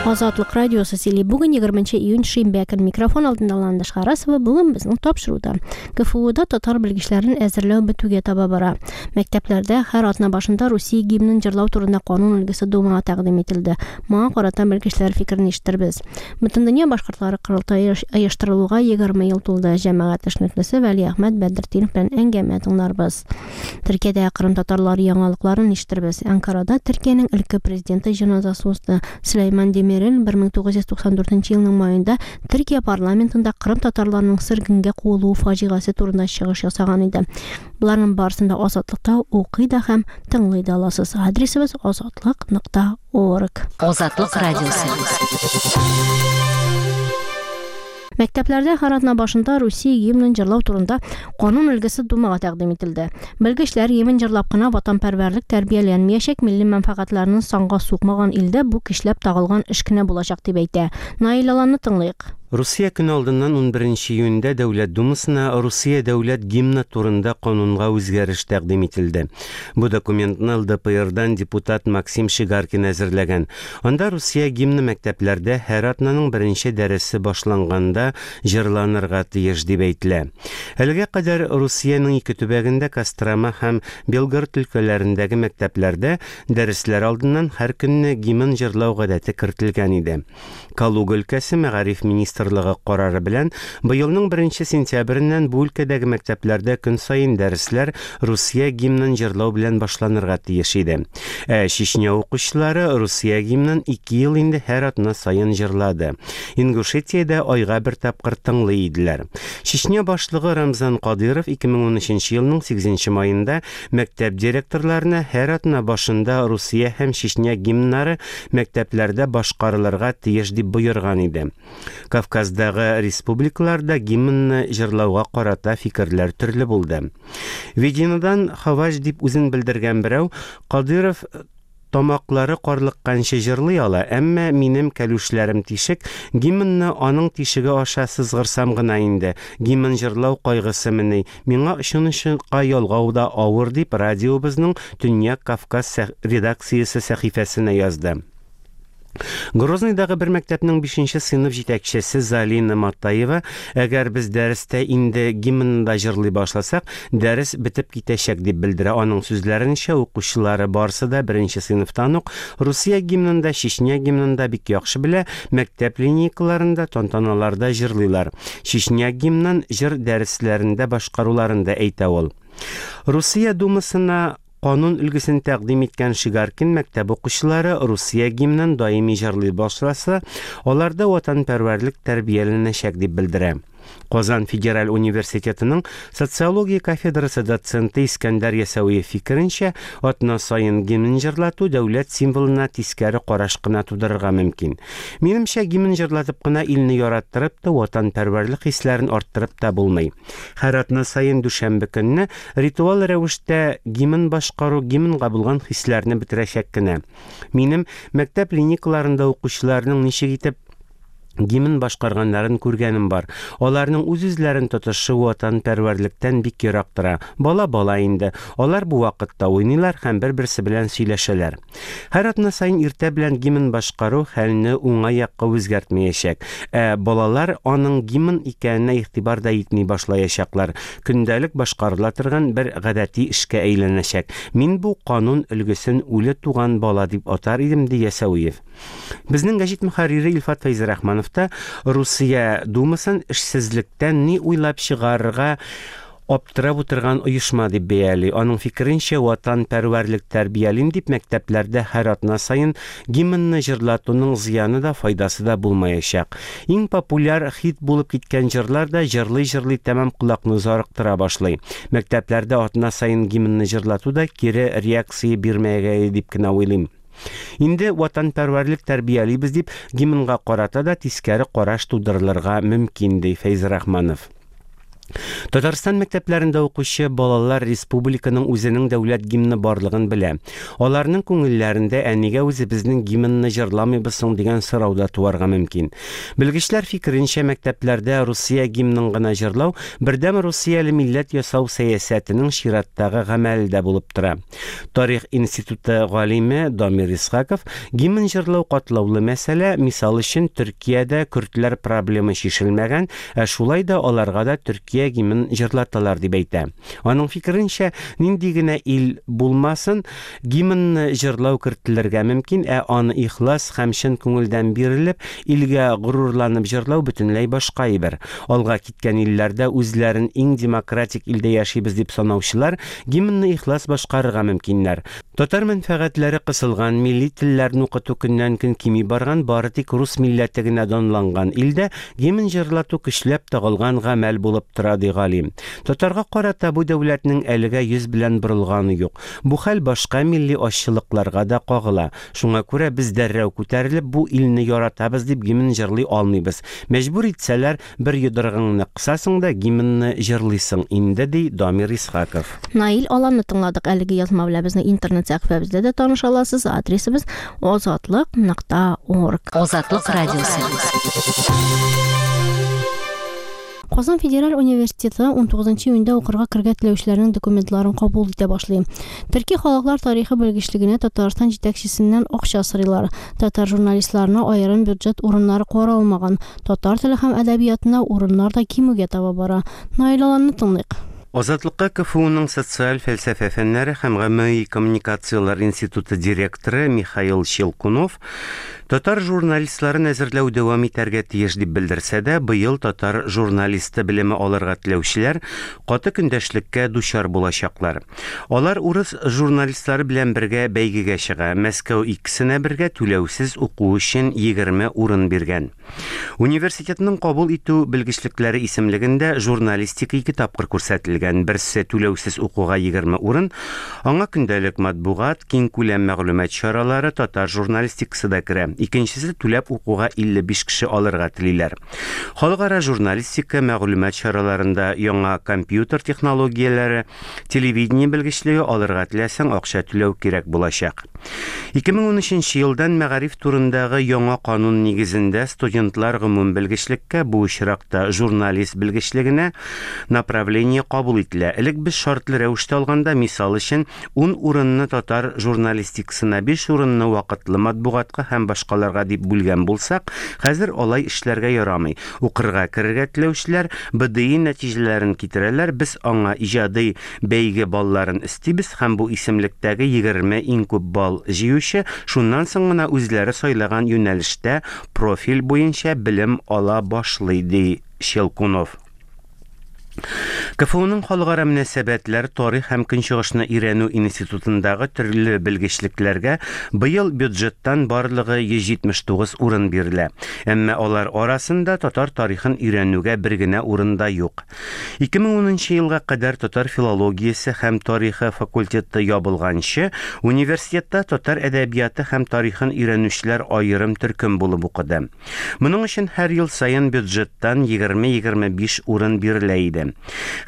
Азатлык радиосы сөйли. Бүген 20 июнь шимбә көн. Микрофон алдында Ландыш Харасова. Бүген безнең тапшыруда. КФУда татар белгечләрен әзерләү бетүгә таба бара. Мәктәпләрдә һәр атна башында Русия гимнын җырлау турында канун өлгесе Думага тәкъдим ителде. Моңа карата белгечләр фикерен ишетербез. Бөтендөнья башкортлары корылтае оештырылуга 20 ел тулды. Җәмәгать эшлеклесе Вәлиәхмәт Бәдертдинов белән әңгәмә тыңларбыз. Төркиядә кырым татарлары яңалыкларын ишетербез. Анкарада Төркиянең элекке президенты җеназасы узды. Сөләйман Демирел 1994 елның маенда Төркия парламентында кырым татарларының сөргенгә куылуы фаҗигасе турында чыгыш ясаган иде. Боларның барысын да Азатлыкта укый да һәм тыңлый да аласыз. Адресыбыз азатлык.орг. Азатлык радиосы. Мәктәпләрдә һәр атна башында Русия гимнын җырлау турында канун өлгесе Думага тәкъдим ителде. Белгечләр гимн җырлап кына ватанпәрвәрлек тәрбияләнмиячәк, милли мәнфәгатьләрне санга сукмаган илдә бу көчләп тагылган эш кенә булачак дип әйтә. Наил Аланны тыңлыйк. Русия көне алдыннан унберенче июньдә Дәүләт Думасына Русия дәүләт гимны турында канунга үзгәреш тәкъдим ителде. Бу документны ЛДПРдан депутат Максим Шигаркин әзерләгән. Анда Русия гимны мәктәпләрдә һәр атнаның беренче дәресе башланганда җырланырга тиеш дип әйтелә. Әлегә кадәр Русиянең ике төбәгендә Кострома һәм Белгород өлкәләрендәге мәктәпләрдә дәресләр алдыннан һәр көнне гимн җырлау гадәте кертелгән иде. Калуга өлкәсе мәгариф министрлыгы карары белән быелның беренче сентябреннән бу өлкәдәге мәктәпләрдә көн саен дәресләр Русия гимнын җырлау белән башланырга тиеш иде. Ә Чечня укучылары Русия гимнын ике ел инде һәр атна саен җырлады. Ингушетиядә айга бер тапкыр тыңлый иделәр. Чечня башлыгы Рамзан Кадыйров 2013 елның 8 маенда мәктәп директорларына һәр атна башында Русия һәм Чечня гимннары мәктәпләрдә башкарылырга тиеш дип боерган иде. Кавказдагы республикаларда гимнны җырлауга карата фикерләр төрле булды. Вединодан Хаваҗ дип үзен белдергән берәү Кадыйров тамаклары карлыкканчы җырлый ала, әмма минем кәлүшләрем тишек, гимнны аның тишеге аша сызгырсам гына инде, гимн җырлау кайгысымыни, миңа очын-очка ялгау да авыр, дип радиобызның Төньяк Кавказ редакциясе сәхифәсенә язды. Грозныйдагы бер мәктәпнең бишенче сыйныф җитәкчесе Залина Матаева, әгәр без дәрестә инде гимнны да җырлый башласак, дәрес бетеп китәчәк, дип белдерә. Аның сүзләренчә, укучылары барсы да беренче сыйныфтан ук Русия гимнын да, Чечня гимнын да бик яхшы белә, мәктәп линейкаларында, тантаналарда җырлыйлар. Чечня гимнын җыр дәресләрендә башкаруларын да әйтә ул. Русия Думасына Канун өлгесен тәкъдим иткән Шигаркин мәктәп укучылары Русия гимнын даими җырлый башласа, аларда ватанпәрвәрлек тәрбияләнәчәк дип белдерә. Казан федераль университетының социология кафедрасы доценты Искәндәр Ясәвиев фикеренчә, атна саен гимн җырлату дәүләт символына тискәре караш кына тудырырга мөмкин. Минемчә, гимн җырлатып кына илне яраттырып та, ватанпәрвәрлек хисләрен арттырып та булмый. Һәр атна саен дүшәмбе көнне ритуал рәвештә гимн башкару гимнга булган хисләрне бетерәчәк кенә. Минем мәктәп линейкаларында укучыларның ничек итеп гимн башкарганнарын күргәнем бар. Аларның үз-үзләрен тотышы ватанпәрвәрлектән бик ерак тора. Бала бала инде. Алар бу вакытта уйныйлар һәм бер-берсе белән сөйләшәләр. Һәр атна саен иртә белән гимн башкару хәлне уңай якка үзгәртмәячәк. Ә балалар аның гимн икәненә игътибар да итми башлаячаклар. Көндәлек башкарыла торган бер гадәти эшкә әйләнәчәк. Мин бу канун өлгесен үле туган бала дип атар идем, ди Ясәвиев. Безнең гәҗит мөхәррире Илфат Фәйзрахманов та Русия Думасын эшсезлектән ни уйлап чыгарырга аптырап утырган оешма дип бәяли. Аның фикеренчә, ватанпәрвәрлек тәрбиялим дип мәктәпләрдә һәр атна саен гимнны җырлатуның зыяны да, файдасы да булмаячак. Иң популяр хит булып киткән җырлар да җырлый-җырлый тәмам колакны зарыктыра башлый. Мәктәпләрдә атна саен гимнны җырлату да кире реакция бирмәгәе дип кенә уйлыйм. Инде ватанпәрвәрлек тәрбиялибез дип гимнга карата да тискәре караш тудырылырга мөмкин, ди Фәйзрахманов. Татарстан мәктәпләрендә укучы балалар республиканың үзенең дәүләт гимны барлыгын белә. Аларның күңелләрендә ә нигә үзебезнең гимнны җырламыйбыз соң дигән сорау да туарга мөмкин. Белгечләр фикеренчә, мәктәпләрдә Русия гимнын гына җырлау бердәм русияле милләт ясау сәясәтенең чираттагы гамәле дә булып тора. Тарих институты галиме Дамир Исхаков гимн җырлау катлаулы мәсьәлә, мисал өчен, Төркиядә көрдләр проблемы чишелмәгән, ә шулай да аларга да Төркия гимнын җырлаталар дип әйтә. Аның фикеренчә, нинди генә ил булмасын, гимнны җырлау кертелергә мөмкин, ә аны ихлас һәм чын күңелдән бирелеп, илгә горурланып җырлау бөтенләй башка әйбер. Алга киткән илләрдә үзләрен иң демократик илдә яшибез дип санаучылар гимнны ихлас башкарырга мөмкиннәр. Татар мәнфәгатьләре кысылган, милли телләрне укыту көннән-көн кими барган, бары тик рус милләте генә данланган илдә гимн җырлату көчләп тагылган гамәл булып тора, ди галим. Татарга карата бу дәүләтнең әлегә йөз белән борылганы юк. Бу хәл башка милли азчылыкларга да кагыла. Шуңа күрә без дәррәү күтәрелеп бу илне яратабыз дип гимн җырлый алмыйбыз. Мәҗбүр итсәләр, Бер йодрыгыңны кысасың да гимнны җырлыйсың инде, ди Дамир Исхаков. Наил Аланны тыңладык. Әлеге язма белән безнең интернет сәхифәбездә дә таныша аласыз. Адресыбыз азатлык нокта орг. Азатлык радиосы. Казан федераль университеты 19 июньдә укырга керергә теләүчеләрнең документларын кабул итә башлый. Төрки халыклар тарихы белгечлегенә Татарстан җитәкчесеннән акча сорыйлар. Татар журналистларына аерым бюджет урыннары каралмаган. Татар теле һәм әдәбиятына урыннар да кимүгә таба бара. Наил Аланны тыңлыйк. Азатлыкка КФУның социаль фәлсәфә фәннәре һәм гомуми коммуникацияләр институты директоры Михаил Щелкунов татар журналистларын әзерләү дәвам итәргә тиеш дип белдерсә дә, быел татар журналисты белеме алырга теләүчеләр каты көндәшлеккә дучар булачаклар. Алар урыс журналистлары белән бергә бәйгегә чыга. Мәскәү икесенә бергә түләүсез уку өчен 20 урын биргән. Университетның кабул итү белгечлекләре исемлегендә журналистика ике тапкыр күрсәтелгән. Берсе түләүсез укуга 20 урын, аңа көндәлек матбугат, киңкүләм мәгълүмат чаралары, татар журналистикасы да керә. Икенчесе түләп укуга 55 кеше алырга телиләр. Халыкара журналистика, мәгълүмат чараларында яңа компьютер технологияләре, телевидение белгечлеге алырга теләсәң, акча түләү кирәк булачак. 2013 елдан мәгариф турындагы яңа канун нигезендә студентлар гомум белгечлеккә, бу очракта журналист белгечлегенә направление кабул ителә. Элек без шартлы рәвештә алганда, мисал өчен, 10 урынны татар журналистикасына, 5 урынны вакытлы матбугатка һәм башкаларга дип бүлгән булсак, хәзер алай эшләргә ярамый. Укырга керергә теләүчеләр БДИ нәтиҗәләрен китерәләр, без аңа иҗади бәйге балларын өстибез һәм бу исемлектәге 20 иң күп балл җыючы шуннан соң гына үзләре сайлаган юнәлештә профиль буенча белем ала башлый, ди Щелкунов. КФУның Халыкара мөнәсәбәтләр, тарих һәм Көнчыгышны өйрәнү институтындагы төрле белгечлекләргә быел бюджеттан барлыгы 179 урын бирелә. Әмма алар арасында татар тарихын өйрәнүгә бер генә урын да юк. 2010 елга кадәр татар филологиясе һәм тарихы факультеты ябылганчы, университетта татар әдәбияты һәм тарихын өйрәнүчеләр аерым төркем булып укыды. Моның өчен һәр ел саен бюджеттан 20-25 урын бирелә иде.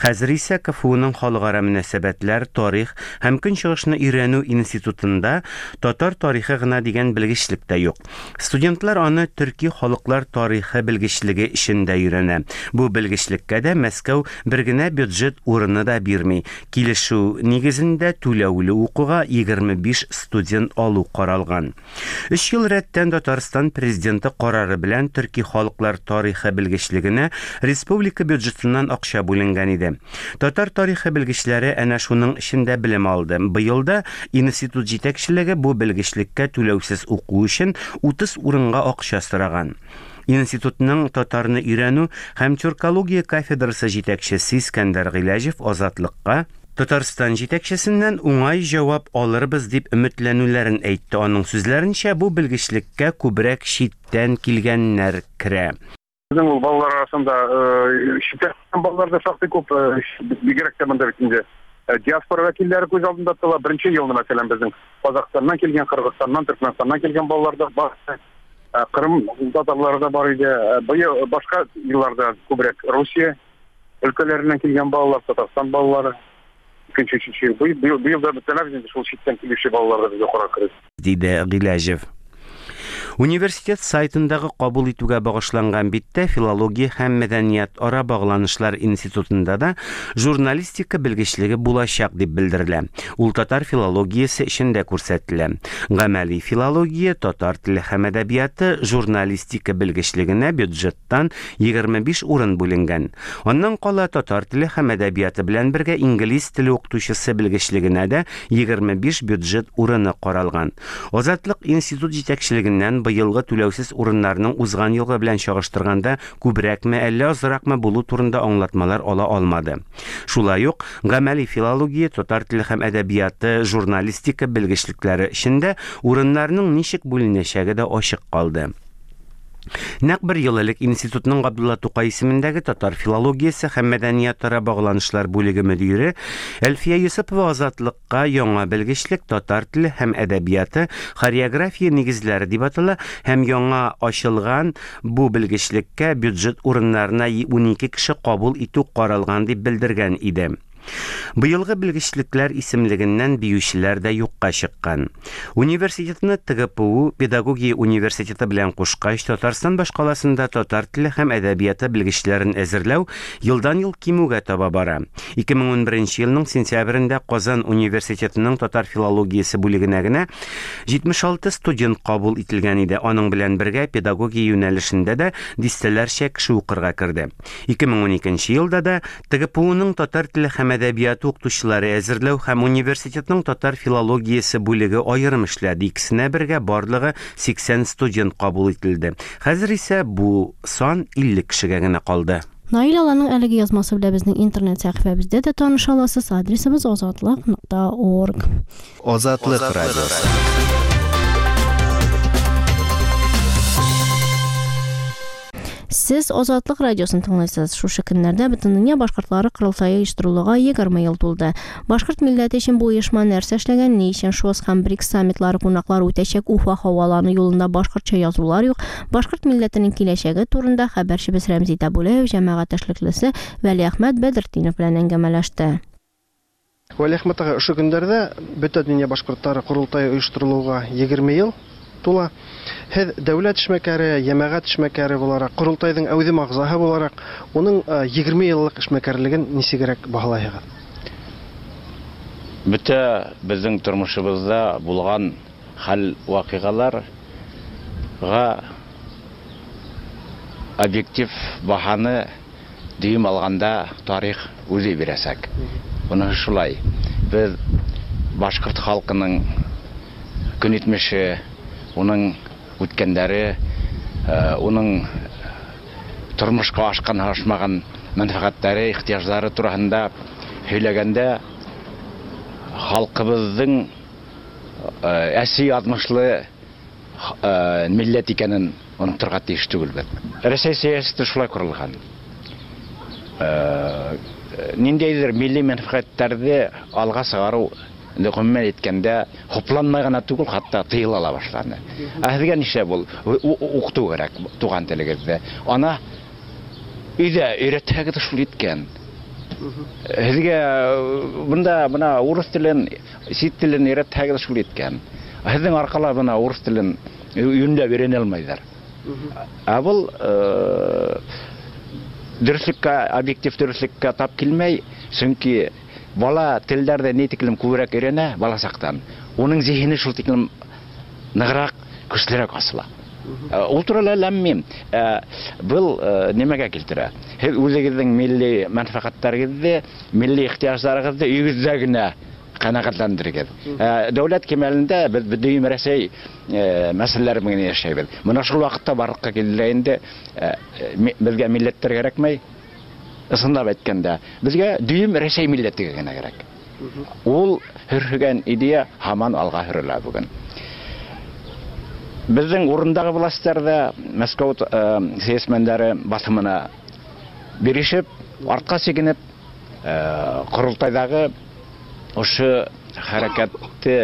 Хәзер исә КФУның Халыкара мөнәсәбәтләр, тарих һәм Көнчыгышны өйрәнү институтында татар тарихы гына дигән белгечлек тә юк. Студентлар аны төрки халыклар тарихы белгечлеге эчендә өйрәнә. Бу белгечлеккә дә Мәскәү бер генә бюджет урыны да бирми. Килешү нигезендә түләүле укуга 25 студент алу каралган. Өч ел рәттән Татарстан Президенты карары белән төрки халыклар тарихы белгечлегенә республика бюджетыннан акча бүленгән иде. Татар тарихы белгечләре әнә шуның эчендә белем алды. Быел да институт җитәкчелеге бу белгечлеккә түләүсез уку өчен 30 урынга акча сораган. Институтның татарны өйрәнү һәм тюркология кафедрасы җитәкчесе Искәндәр Гыйләҗев Азатлыкка Татарстан җитәкчесеннән уңай җавап алырбыз дип өметләнүләрен әйтте. Аның сүзләренчә, бу белгечлеккә күбрәк читтән килгәннәр керә. Безнең ул балалар арасында читтән балалар да шактый күп, бигрәк тә монда бит инде диаспора вәкилләре күз алдында тотыла. Беренче елны, мәсәлән, безнең Казахстаннан килгән, Кыргызстаннан, Төркмәнстаннан килгән балалар да бар. Кырым татарлары да бар иде. Быел башка елларда күбрәк Русия. өлкәләреннән килгән балалар, Татарстан балалары. Икенче, өченче ел. Быел, быел да бөтенләй инде шул читтән килүче балалар да безгә укырга керде. Диде Гыйләҗев. Университет сайтындагы кабул итүгә багышланган биттә Филология һәм мәдәниятара багланышлар институтында да журналистика белгечлеге булачак дип белдерелә. Ул татар филологиясе эчендә күрсәтелә. Гамәли филология, татар теле һәм әдәбияты, журналистика белгечлегенә бюджеттан 25 урын бүленгән. Аннан кала татар теле һәм әдәбияты белән бергә инглиз теле укытучысы белгечлегенә дә 25 бюджет урыны каралган. Азатлык институт җитәкчелегеннән быелгы түләүсез урыннарның узган елгы белән чагыштырганда күбрәкме, әллә азракмы булу турында аңлатмалар ала алмады. Шулай ук гамәли филология, татар теле һәм әдәбияты, журналистика белгечлекләре өчен дә урыннарның ничек бүленәчәге дә ачык калды. Нәкъ бер ел элек институтның Габдулла Тукай исемендәге татар филологиясе һәм мәдәниятара багланышлар бүлеге мөдире Әлфия Йосыпова Азатлыкка яңа белгечлек татар теле һәм әдәбияты, хореография нигезләре дип атала һәм яңа ачылган бу белгечлеккә бюджет урыннарына 12 кеше кабул итү каралган дип белдергән иде. Быелгы белгечлекләр исемлегеннән биючеләр дә юкка чыккан. Университетны ТГПУ педагогия университеты белән кушкач, Татарстан башкаласында татар теле һәм әдәбияты белгечләрен әзерләү елдан-ел кимүгә таба бара. 2011 елның сентябрендә Казан университетының татар филологиясе бүлегенә генә 76 студент кабул ителгән иде. Аның белән бергә педагогия юнәлешендә дә дистәләрчә кеше укырга керде. 2012 елда да ТГПУның татар теле һәм әдәбияты укытучылары әзерләү һәм университетның татар филологиясе бүлеге аерым эшләде. Икесенә бергә барлыгы 80 студент кабул ителде. Хәзер исә бу сан 50 кешегә генә калды. Наил Аланның әлеге язмасы белән безнең интернет сәхифәбездә дә таныша аласыз. Адресыбыз азатлык.орг. Азатлык радиосы. Сез Азатлык радиосын тыңлыйсыз. Шушы көннәрдә Бөтендөнья башкортлары корылтае оештырылуга 20 ел тулды. Башкорт милләте өчен бу оешма нәрсә эшләгән, ни өчен ШОС һәм БРИКС саммитлары кунаклары үтәчәк Уфа һавалану юлында башкортча язулар юк, башкорт милләтенең киләчәге турында хәбәрчебез Рәмзи Табулаев җәмәгать эшлеклесе Вәлиәхмәт Бәдертдинов белән әңгәмәләште. Вәлиәхмәт агай, ошо көндәрдә Бөтә дөнья башкортлары корылтае оештырылуга 20 ел тула. Һеҙ дәүләт эшмәкәре, йәмәғәт эшмәкәре булараҡ, корылтайҙың әүҙем ағзаһы булараҡ, уның 20 йыллыҡ эшмәкәрлеген нисегерәк баһалайһығыҙ? Бөтә беҙҙең тормошобоҙҙа булған хәл ваҡиғаларға объектив баһаны дөйөм алғанда тарих үҙе бирәсәк. Уныһы шулай. Беҙ башҡорт халҡының көнитмеше, уның үткәндәре, уның тормошҡа ашҡан, ашмаған мәнфәғәттәре, ихтыяждары тураһында һөйләгәндә халҡыбыҙҙың әсе яҙмышлы милләт икәнен оноторға тейеш түгелбеҙ. Рәсәй сәйәсәте шулай ҡоролған. Ниндәйҙер милли мәнфәғәттәрҙе алға сығарыу ғөмүмән әйткәндә хупланмай ғына түгел, хатта тыйыла ла башланы. Ә һеҙгә нишләп ул уҡытыу кәрәк туған телегеҙҙе? Ана өйҙә өйрәтһәгеҙ шул еткән. Һеҙгә бында бына урыҫ телен, сит телен өйрәтһәгеҙ шул еткән. Һеҙҙең арҡала бына урыҫ телен йүнләп өйрәнә алмайҙар. Ә был дөрөҫлөккә, объектив дөрөҫлөккә тап килмәй, сөнки бала телдәрҙе ни тиклем күберәк өйрәнә бала саҡтан, уның зиһене шул тиклем нығыраҡ, көслөрәк асыла. Ул турала ләм-мим. Был нимәгә килтерә? Һеҙ үҙегеҙҙең милли мәнфәғәттәрегеҙҙе, милли ихтыяждарығыҙҙы өйөгөҙҙә генә ҡәнәғәтләндерегеҙ. Дәүләт кимәлендә беҙ Бөтөн Рәсәй мәсьәләләре менән йәшәйбеҙ. Бына шул ваҡытта барлыҡҡа килде инде, беҙгә милләттәр кәрәкмәй. Ысынлап әйткәндә, беҙгә дөйөм Рәсәй милләте генә кәрәк. Ул һөрһөгән идея һаман алға һөрөлә бөгөн. Беҙҙең урындағы властар ҙа Мәскәү сәйәсмәндәре баҫымына бирешеп, артҡа сигенеп, ҡоролтайҙағы ошо хәрәкәтте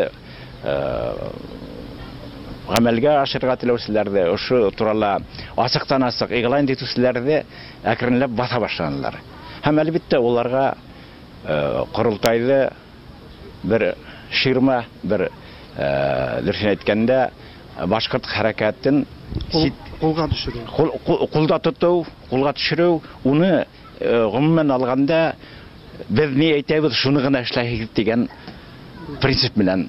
ғәмәлгә ашырға теләүселәрҙе, ошо турала асыҡтан-асыҡ иғлан итеүселәрҙе әкренләп баҫа башланылар. Һәм әлбиттә уларга корылтайды бер ширма, бер дөресен әйткәндә, башкорт хәрәкәтен кулга төшерү. Кулда тоту, кулга төшерү, уны гомумән алганда без ни әйтәбез, шуны гына эшләйбез дигән принцип белән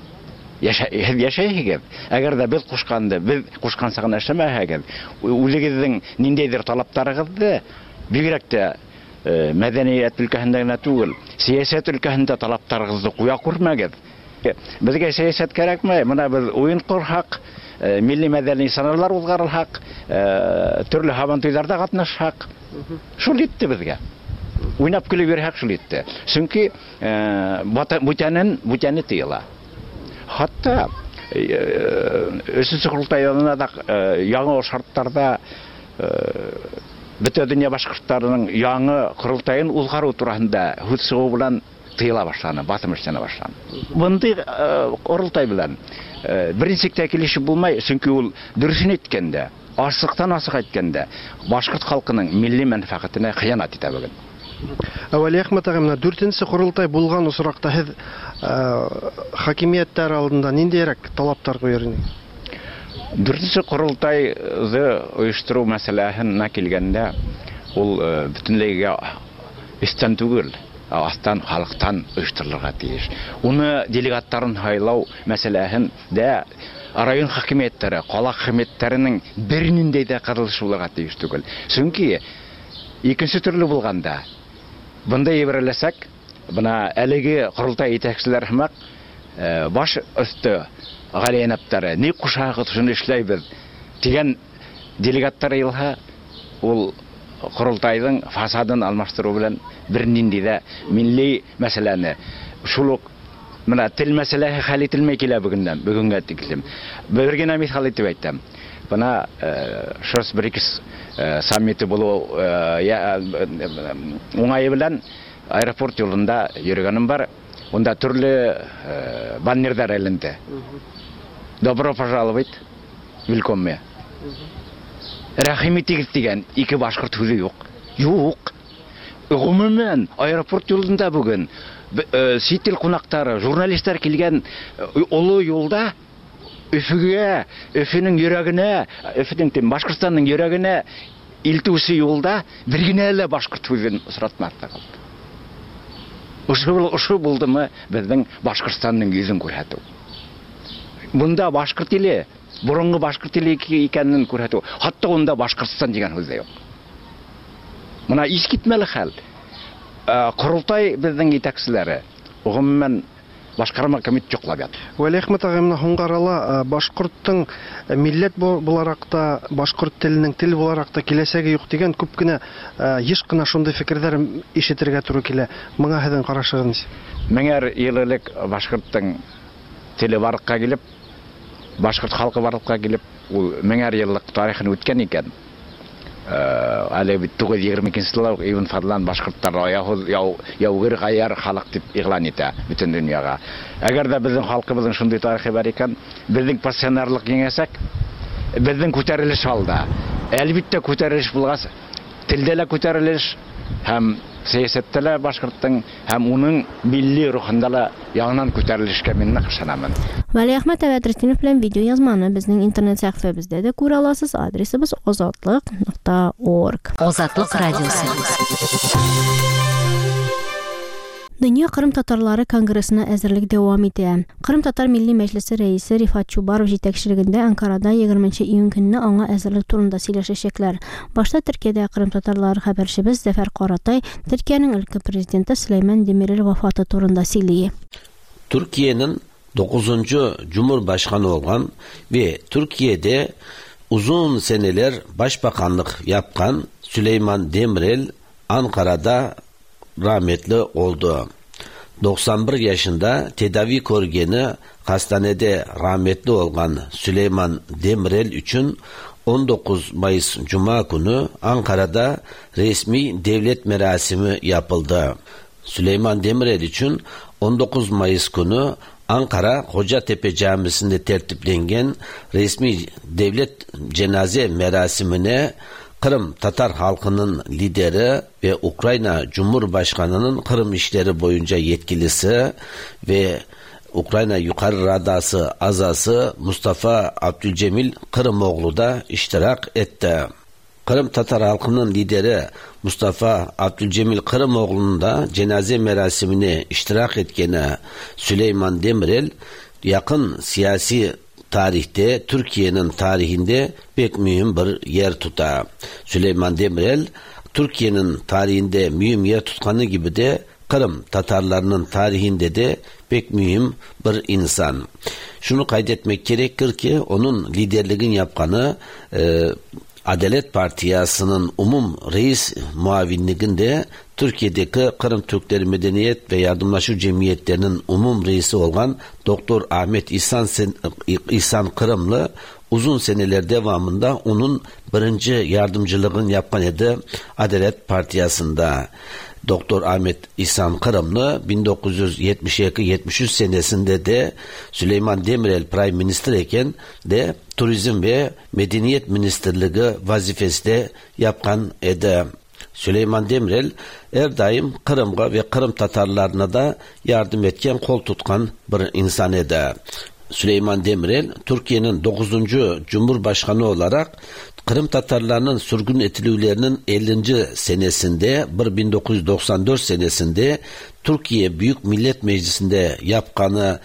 яшәйһегез. Әгәр дә без кушканды, без кушканча гына эшләмәһәгез, үзегезнең ниндәйдер талапларыгызны, бигрәк тә мәдәният өлкәһендә генә түгел, сәясәт өлкәһендә талапларыгызны куя күрмәгез. Безгә сәясәт кәрәкме? Менә без уен корһак, милли мәдәни чаралар уздырылһак, төрле һабантуйларда катнашһак, шул җитте безгә. Уйнап көлеп йөрһәк шул җитте. Чөнки бүтәнен бүтәне тыела. Хатта өченче корылтай янына да яңа шартларда бөтә дөнья башкортларының яңа корылтаен уздыру турында һүз чыгу белән тыела башланы, басым эшләнә башланы. Мондый корылтай белән берничек тә килешеп булмай, чөнки ул дөресен әйткәндә, ачыктан ачык әйткәндә, башкорт халкының милли мәнфәгатенә хыянәт итә бүген. Вәлиәхмәт ага, менә дүртенче корылтай булган очракта һеҙ хакимияттәр алдында ниндәйерәк талаптар куйыр инегеҙ? Дүртенче корылтайҙы ойоштороу мәсьәләһенә килгәндә, ул бөтенләйгә өҫтән түгел, астан, халыҡтан ойошторолорға тейеш. Уны делегаттарын һайлау мәсьәләһен дә район хакимиәттәре, ҡала хакимиәттәренең бер ниндәй ҙә ҡарылышы булырға тейеш түгел. Сөнки икенсе төрлө булғанда, бындай ебәреләсәк, бына әлеге ҡоролтай етәкселәр һымаҡ баш өҫтө ғали йәнәптәре, ни ҡушаһығыҙ, шуны эшләйбеҙ тигән делегаттар йыйылһа, ул ҡоролтайҙың фасадын алмаштырыу белән бер ниндәй ҙә милли мәсьәләне, шул уҡ бына тел мәсьәләһе хәл ителмәй килә бөгөндән, бөгөнгә тиклем. Бер генә миҫал итеп әйтәм. Бына ШОС БРИКС саммиты булыу уңайы белән аэропорт юлында йөрөгәнем бар. Унда төрлө баннерҙар эленде. Добро пожаловать, willkommen. Рәхим итегеҙ тигән ике башҡорт һүҙе юҡ. Юҡ. Ғөмүмән, аэропорт юлында бөгөн сит ил ҡунаҡтары, журналистар килгән оло юлда Өфөгә, Өфөнөң йөрәгенә, Өфөнөң тим, Башҡортостандың йөрәгенә илтеүсе юлда бер генә лә башҡорт һүҙен осратмаҫтыҡ. Ошо булдымы беҙҙең Башҡортостандың йөҙөн күрһәтеү. Бында башҡорт иле, боронғо башҡорт иле икәнен күрһәтеү. Хатта унда Башҡортостан тигән һүҙ ҙә юҡ. Бына иҫ китмәле хәл. Ҡоролтай беҙҙең етәкселәре, ғөмүмән, башҡарма комитет йоҡлап ята. Вәлиәхмәт ағай, менә һуңғы арала башҡорттоң милләт булараҡ та, башҡорт теленең тел булараҡ та киләсәге юҡ тигән күп кенә, йыш ҡына шундай фекерҙәр ишетергә тура килә. Быға һеҙҙең ҡарашығыҙ нисек? Меңәр йыл элек башҡорттоң теле барлыҡҡа килеп, башҡорт халҡы барлыҡҡа килеп, ул меңәр йыллыҡ тарихын үткән икән. Әле бит туғыҙ егерме икенсе йылда уҡ Ибн Фадлан башҡорттар яугир ғаяр халыҡ тип иғлан итә бөтөн донъяға. Әгәр ҙә беҙҙең халҡыбыҙҙың шундай тарихы бар икән, беҙҙең пассионарлыҡ еңәсәк, беҙҙең күтәрелеш алда. Әлбиттә күтәрелеш булғас, телдә лә күтәрелеш, һәм сәйәсәттә лә башҡорттоң, һәм уның милли рухында ла яңынан күтәрелешкә мин ныҡ ышанамын. Вәлиәхмәт Бәдретдинов белән видеоязманы беҙҙең интернет сәхифәбеҙҙә дә күрә аласыз. Адресыбыҙ озатлык нокта орг. Озатлык радиосы. Дөнья Ҡырым татарлары конгрессына әҙерлек дауам итә. Ҡырым татар милли мәжлесе рәисе Рифат Чубаров етәкселегендә Анкарада егерменче июнь көнне аңа әҙерлек турында сөйләшәчәкләр. Башта Төркиәдә Ҡырым татарлары хәбәрсебеҙ Зәфәр Ҡаратай Төркиәнең өлкә президенты Сөләймән Демирел вафаты турында сөйли. Türkiye'nin 9. Cumhurbaşkanı olan ve Türkiye'de uzun seneler başbakanlık yapan Süleyman Demirel Ankara'da rahmetli oldu. 91 yaşında tedavi körgeni hastanede rahmetli olan Süleyman Demirel için 19 Mayıs Cuma günü Ankara'da resmi devlet merasimi yapıldı. Süleyman Demirel için 19 Mayıs günü Ankara Kocatepe Camisi'nde tertiplengen resmi devlet cenaze merasimine Kırım Tatar halkının lideri ve Ukrayna Cumhurbaşkanı'nın Kırım işleri boyunca yetkilisi ve Ukrayna Yukarı Radası azası Mustafa Abdülcemil Kırımoğlu da iştirak etti. Kırım Tatar halkının lideri Mustafa Abdülcemil Kırımoğlu'nun da cenaze merasimine iştirak etkeni Süleyman Demirel yakın siyasi tarihte, Türkiye'nin tarihinde pek mühim bir yer tutar. Süleyman Demirel, Türkiye'nin tarihinde mühim yer tutkanı gibi de Kırım Tatarlarının tarihinde de pek mühim bir insan. Şunu kaydetmek gerekir ki onun liderliğin yapkanı Adalet Partisi'nin umum reis muavinliğinde Türkiye'deki Kırım Türkleri Medeniyet ve Yardımlaşma Cemiyetlerinin umum reisi olan Doktor Ahmet İhsan Kırımlı uzun seneler devamında onun birinci yardımcılığını yapan idi Adalet Partisi'nde. Doktor Ahmet İhsan Kırımlı 1972-73 senesinde de Süleyman Demirel Prime Minister iken de Turizm ve Medeniyet Ministerliği vazifesi de yapkan idi. Süleyman Demirel her daim Kırım'a ve Kırım Tatarlarına da yardım etken, kol tutkan bir insan idi. Süleyman Demirel Türkiye'nin 9. Cumhurbaşkanı olarak Kırım Tatarlarının sürgün etilüvlerinin 50. senesinde 1994 senesinde Türkiye Büyük Millet Meclisi'nde yapkanı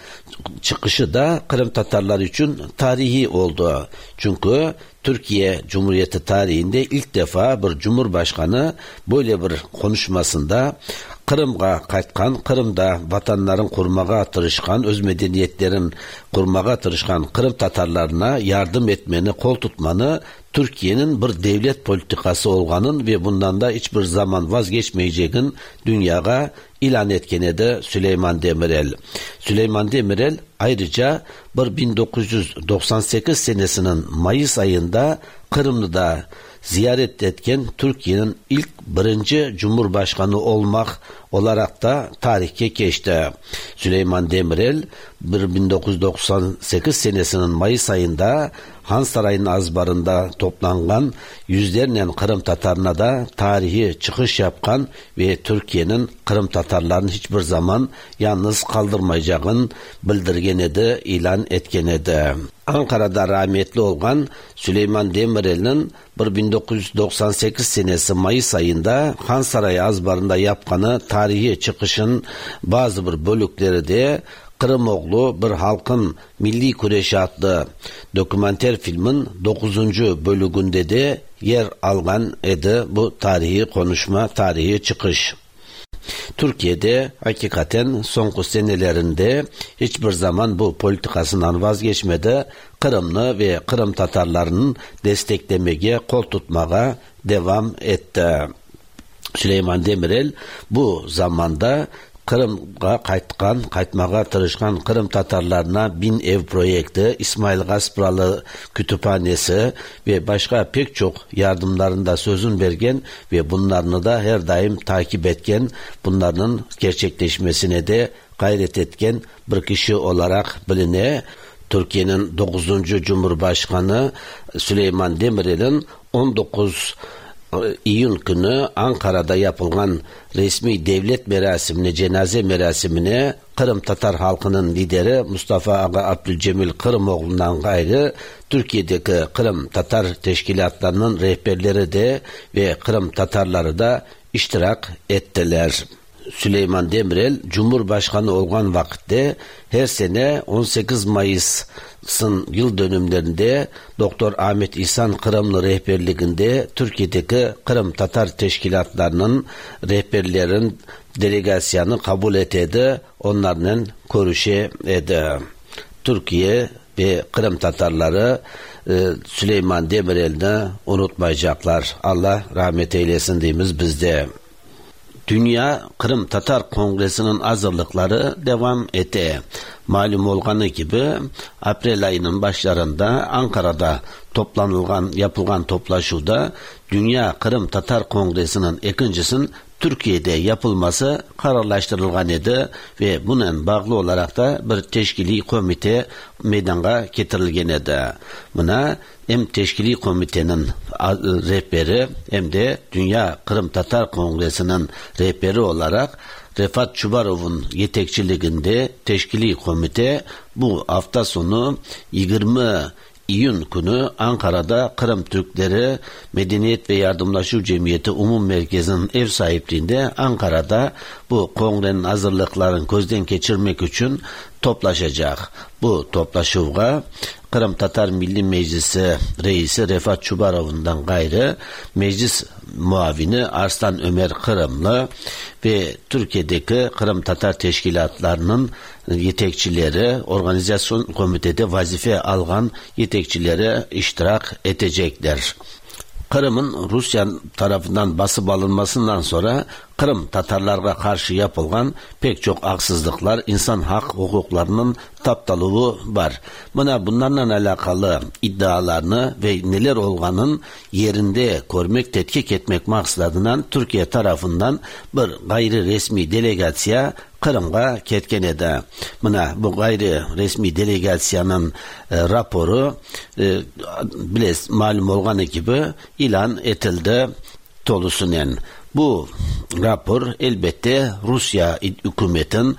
çıkışı da Kırım Tatarlar için tarihi oldu. Çünkü Türkiye Cumhuriyeti tarihinde ilk defa bir cumhurbaşkanı böyle bir konuşmasında Kırım'a qaytqan, Kırım'da vatanların kurmağa tırışkan, öz medeniyetlerin kurmağa tırışkan Kırım Tatarlarına yardım etmeni, kol tutmanı Türkiye'nin bir devlet politikası olganın ve bundan da hiçbir zaman vazgeçmeyeceğin dünyaya ilan etken edi Süleyman Demirel. Süleyman Demirel ayrıca 1998 senesinin Mayıs ayında Kırım'da ziyaret etken Türkiye'nin ilk birinci Cumhurbaşkanı olmak olarak da tarihke geçti. Süleyman Demirel 1998 senesinin Mayıs ayında Han Sarayı'nın azbarında toplangan yüzlerle Kırım Tatarına da tarihi çıkış yapkan ve Türkiye'nin Kırım Tatarlarını hiçbir zaman yalnız kaldırmayacağını bildirgen edi, ilan etken edi. Ankara'da rahmetli olan Süleyman Demirel'in 1998 senesi Mayıs ayında Han Sarayı azbarında yapkanı tarihi çıkışın bazı bir bölükleri de Kırımoğlu bir halkın milli kureşi adlı dokumenter filmin 9. bölümünde de yer algan edi bu tarihi konuşma, tarihi çıkış. Türkiye'de hakikaten son senelerinde hiçbir zaman bu politikasından vazgeçmedi. Kırımlı ve Kırım Tatarlarının desteklemeye, kol tutmaya devam etti. Süleyman Demirel bu zamanda Kırım'a qaytmağa tırışqan Kırım Tatarlarına 1000 ev proyekti, İsmail Gaspıralı kütüphanesi ve başka pek çok yardımlarında sözün vergen ve bunlarını da her daim takip etken, bunların gerçekleşmesine de gayret etken bir kişi olarak biline. Türkiye'nin 9. Cumhurbaşkanı Süleyman Demirel'in 19 İyun günü Ankara'da yapılan resmi devlet merasimine, cenaze merasimine Kırım Tatar halkının lideri Mustafa Ağa Abdülcemil Kırımoğlu'ndan gayrı Türkiye'deki Kırım Tatar teşkilatlarının rehberleri de ve Kırım Tatarları da iştirak ettiler. Süleyman Demirel Cumhurbaşkanı olan vakitte her sene 18 Mayıs'ın yıl dönümlerinde Doktor Ahmet İhsan Kırımlı rehberliğinde Türkiye'deki Kırım Tatar teşkilatlarının rehberlerin delegasyonu kabul etedi, onlarla görüşe edi. Türkiye ve Kırım Tatarları Süleyman Demirel'i unutmayacaklar. Allah rahmet eylesin deyimiz bizde. Dünya Kırım Tatar Kongresi'nin hazırlıkları devam etti. Malum olganı gibi aprel ayının başlarında Ankara'da yapılan toplaşuda Dünya Kırım Tatar Kongresi'nin ikincisinin Türkiye'de yapılması kararlaştırılgan edi ve bunun bağlı olarak da bir teşkili komite meydana getirilgen edi. Buna hem teşkili komitenin rehberi hem de Dünya Kırım Tatar Kongresi'nin rehberi olarak Refat Çubarov'un yetekçiliğinde teşkili komite bu hafta sonu 20 İyun günü Ankara'da Kırım Türkleri Medeniyet ve Yardımlaşma Cemiyeti Umum Merkezi'nin ev sahipliğinde Ankara'da bu kongrenin hazırlıklarını gözden geçirmek için toplaşacak. Bu toplaşığa Kırım Tatar Milli Meclisi Reisi Refat Çubarov'undan gayrı Meclis Muavini Arslan Ömer Kırımlı ve Türkiye'deki Kırım Tatar teşkilatlarının yetekçileri, organizasyon komitede vazife algan yetekçileri iştirak edecekler. Kırım'ın Rusya tarafından basıp alınmasından sonra Kırım Tatarlara karşı yapılan pek çok haksızlıklar, insan hak hukuklarının taptalığı var. Buna bunlarla alakalı iddialarını ve neler olganın yerinde görmek, tetkik etmek maksadından Türkiye tarafından bir gayri resmi delegasya Kırım'a ketken edi. Mına bu gayri resmi delegasyanın raporu biles malum olganı gibi ilan etildi tolusunen. Bu rapor elbette Rusya hükümetin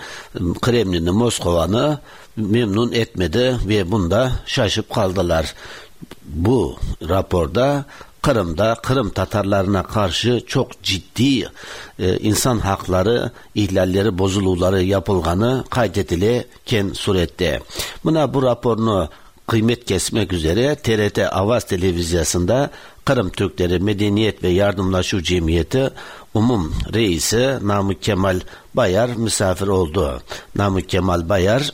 Kremlin'i, Moskova'nı memnun etmedi ve bunda şaşıp kaldılar. Bu raporda Kırım'da Kırım Tatarlarına karşı çok ciddi insan hakları ihlalleri, bozuluları yapılganı kaydedilken surette. Buna bu raporunu kıymet kesmek üzere TRT Avaz Televizyası'nda Kırım Türkleri Medeniyet ve Yardımlaşma Cemiyeti Umum Reisi Namık Kemal Bayar misafir oldu. Namık Kemal Bayar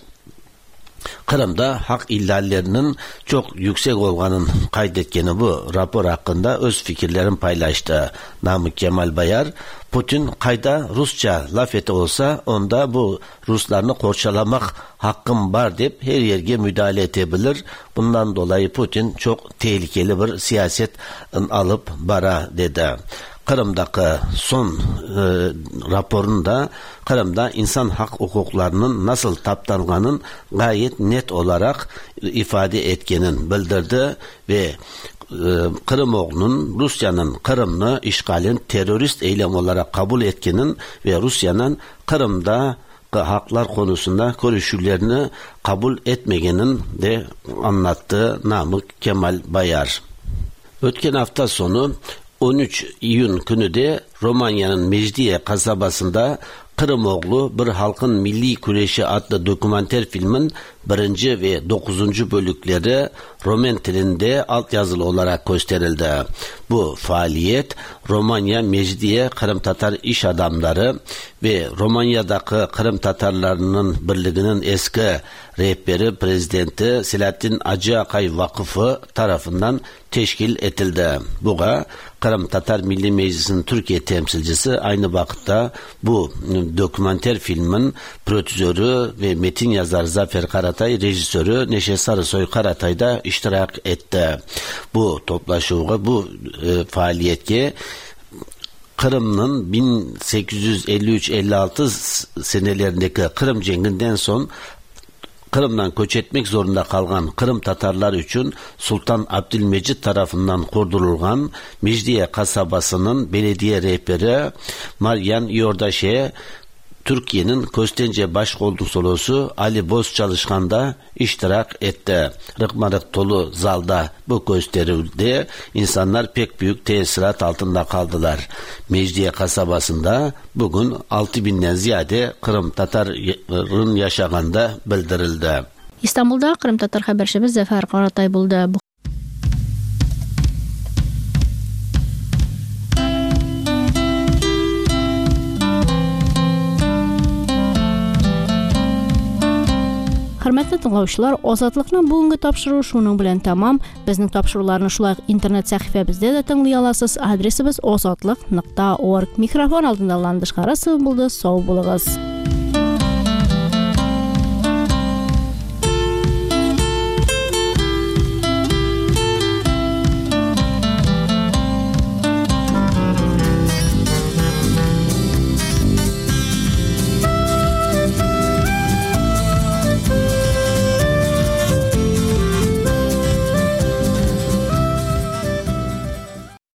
Kırım'da hak ihlallerinin çok yüksek olganın kaydetkeni bu rapor hakkında öz fikirlerini paylaştı. Namık Kemal Bayar, Putin kayda Rusça laf eti olsa onda bu Ruslarını korçalamak hakkım var deyip her yerge müdahale edebilir. Bundan dolayı Putin çok tehlikeli bir siyaset alıp bara dedi. Kırım'daki son raporunda Kırım'da insan hak hukuklarının nasıl taptanganın gayet net olarak ifade etkenin bildirdi ve Kırımoğlu'nun Rusya'nın Kırım'ı işgalin terörist eylem olarak kabul etkenin ve Rusya'nın Kırım'da haklar konusunda görüşlerini kabul etmegenin de anlattı Namık Kemal Bayar. Ötken hafta sonu 13 İyun günü de Romanya'nın Mecidiye kasabasında Kırımoğlu Bir Halkın Milli Güreşi adlı dokumenter filmin 1. ve 9. bölükleri Roman dilinde altyazılı olarak gösterildi. Bu faaliyet Romanya Mecidiye Kırım Tatar iş adamları ve Romanya'daki Kırım Tatarlarının birliğinin eski rehberi prezidenti Selahattin Acıakay Vakıfı tarafından teşkil edildi. Buğa Kırım Tatar Milli Meclisi'nin Türkiye temsilcisi aynı vakitte bu dokumenter filmin prodüktörü ve metin yazarı Zafer Karatay, rejisörü Neşe Sarısoy Karatay da iştirak etti. Bu toplaşığa, bu faaliyetke Kırım'ın 1853-56 senelerindeki Kırım Cengi'nden son Kırım'dan göç etmek zorunda kalgan Kırım Tatarlar için Sultan Abdülmecid tarafından kurdurulgan Mecidiye kasabasının belediye rehberi Marian Yordaşe, Türkiye'nin Köstence Başkonsolosu Ali Boz Çalışkan da iştirak etti. Rıkmarık dolu zalda bu gösterildi. İnsanlar pek büyük tesirat altında kaldılar. Mecidiye kasabasında bugün 6000'den ziyade Kırım Tatar'ın yaşağında bildirildi. İstanbul'da Kırım Tatar haberçimiz Zafer Karatay buldu. Хөрмәтле тыңлаучылар, Азатлыкның бүгенге тапшыруы шуның белән тәмам. Безнең тапшыруларны шулай ук интернет сәхифәбездә дә тыңлый аласыз. Адресыбыз ozodliq.org. Микрофон алдында Ландыш Харасова булды. Сау булыгыз.